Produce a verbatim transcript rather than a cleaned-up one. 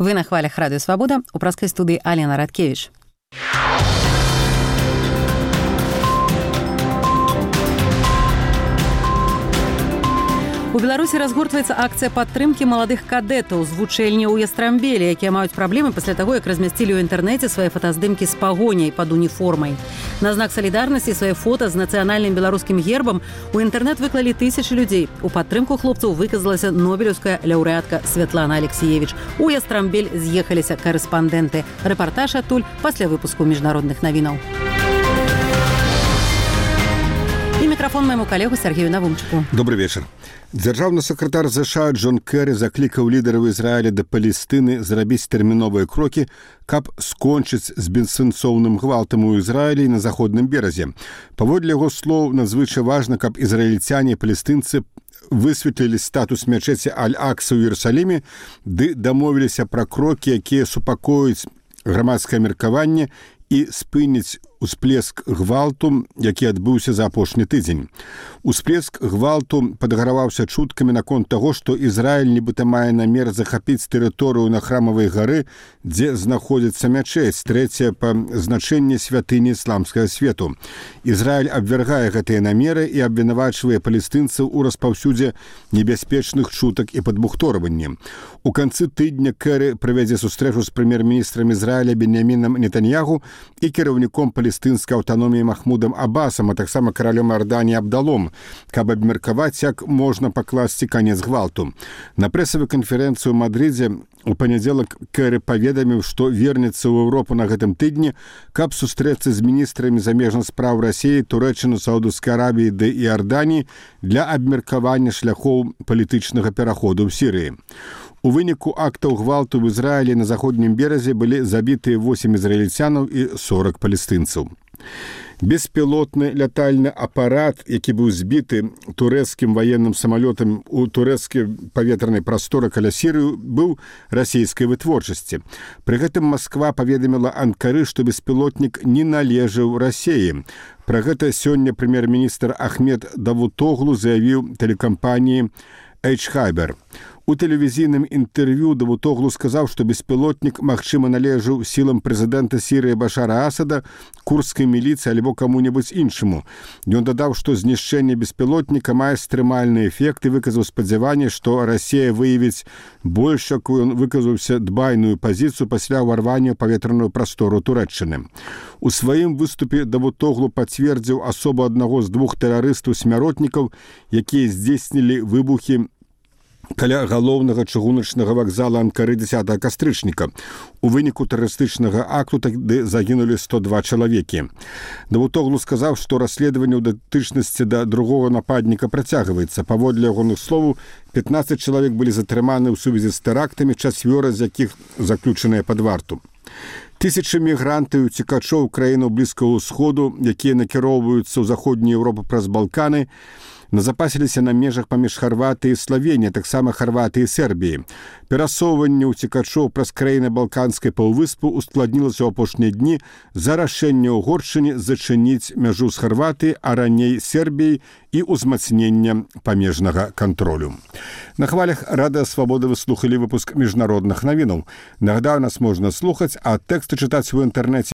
Вы на хвалях Радио Свобода, у праскай студыі Алена Радкевіч. У Беларусі разгортваецца акцыя падтрымкі маладых кадэтаў з вучэльні ў Ястрамбелі, якія маюць праблемы пасля таго, як размясцілі ў інтэрнэце свае фотаздымкі з пагоняй пад уніформай. На знак салідарнасці свае фота з нацыянальным беларускім гербам у інтэрнэт выклалі тысячы людзей. У падтрымку хлопцаў выказалася нобелеўская лаўрэатка Святлана Алексеевіч. У Ястрамбель з'ехаліся карэспандэнты. Рэпартаж адтуль пасля выпуску міжнародных навінаў. І мікрафон майму калегу Сергею Навумчыку. Добрый вечер. Дзяржаўны сакратар ЗША Джон Кэры заклікаў лідараў Ізраіля да Палестыны зрабіць тэрміновыя крокі, каб скончыць з бессэнсоўным гвалтам у Ізраілі на заходным беразе. Паводле яго слоў, надзвычай важна, каб ізраільцяне і палестынцы высветлілі статус мячэці Аль-Акса ў Іерусаліме ды дамовіліся пра крокі, якія супакоюць грамадскае меркаванне і спыніць усплеск гвалту, які адбыўся за апошні тыдзень. Усплеск гвалту падгараваўся чуткамі наконт таго, што Ізраіль нібыта мае намер захапіць тэрыторыю на Храмавай гары, дзе знаходзіцца мячэць, трэцяя па значэнні святыні ісламскага свету. Ізраіль абвяргае гэтыя намеры і абвінавачвае палестынцаў у распаўсюдзе небяспечных чутак і падбухторванні. У канцы тыдня Кэры правядзе сустрэчу з прэм'ер-міністрам Ізраіля Беньямінам Нетаньяху і кіраўніком палестынскай аўтаноміі Махмудам Абасам, а таксама каралём Арданіі Абдалом, каб абмеркаваць, як можна пакласці канец гвалту. На прэсавай канферэнцыі ў Мадрыдзе у панядзелак Кэры паведаміў, што вернецца ў Еўропу на гэтым тыдні, каб сустрэцца з міністрамі замежных спраў Расіі, Турэччыны, Саудаўскай Арабіі ды Іорданіі для абмеркавання шляхоў палітычнага пераходу ў Сірыі. У выніку актаў гвалту ў Ізраілі на заходнім беразе былі забітыя восем ізраільцянаў і сорок палестынцаў. Беспілотны лятальны апарат, які быў збіты турэцкім ваенным самалётам у турэцкай паветранай прасторы каля Сірыі, быў расійскай вытворчасці. Пры гэтым Масква паведаміла Анкары, што беспілотнік не належаў Расіі. Пра гэта сёння прэм'ер-міністр Ахмед Давутоглу заявіў тэлекампаніі Эйч-Хайбер. У тэлевізійным інтэрв'ю Давутоглу сказаў, што беспілотнік, магчыма, належаў сілам прэзідэнта Сірыі Башара Асада, курдскай міліцыі альбо каму-небудзь іншаму. Ён дадаў, што знішчэнне беспілотніка мае стрымальны эфект і выказаў спадзяванне, што Расія выявіць больш, якую ён выказаўся дбайную пазіцыю пасля ўварвання ў паветраную прастору Турэччыны. У сваім выступе Давутоглу пацвердзіў асобу аднаго з двух тэрарыстаў-смяротнікаў, якія здзейснілі выбухі каля галоўнага чыгуначнага вакзала Анкары дзесятага кастрычніка. У выніку тэрарыстычнага акту тады загінулі сто два чалавекі. Давутоглу сказаў, што расследаванне ў датычнасці да другога нападніка працягваецца. Паводле ягоных словаў, пятнаццаць чалавек былі затрыманы ў сувязі з тэрактамі, чацвёра з якіх заключаныя пад варту. Тысячы мігрантаў і уцекачоў краінаў Блізкага ўсходу, якія накіроўваюцца ў заходнюю Еўропу праз Балканы, назапасіліся на межах паміж Харватыяй і Славеніяй, таксама Харватыяй і Сербіяй. Перасоўванне ўцекачоў праз краіны Балканскай паўвыспы ускладнілася ў апошнія дні за рашэнне ўгоршчыне зачыніць мяжу з Харватыяй, а раней Сербіяй і ўзмацнення памежнага кантролю. На хвалях Радыё Свабода вы слухалі выпуск міжнародных навінаў. Нагадаю, нас можна слухаць, а тэксты чытаць у інтэрнэце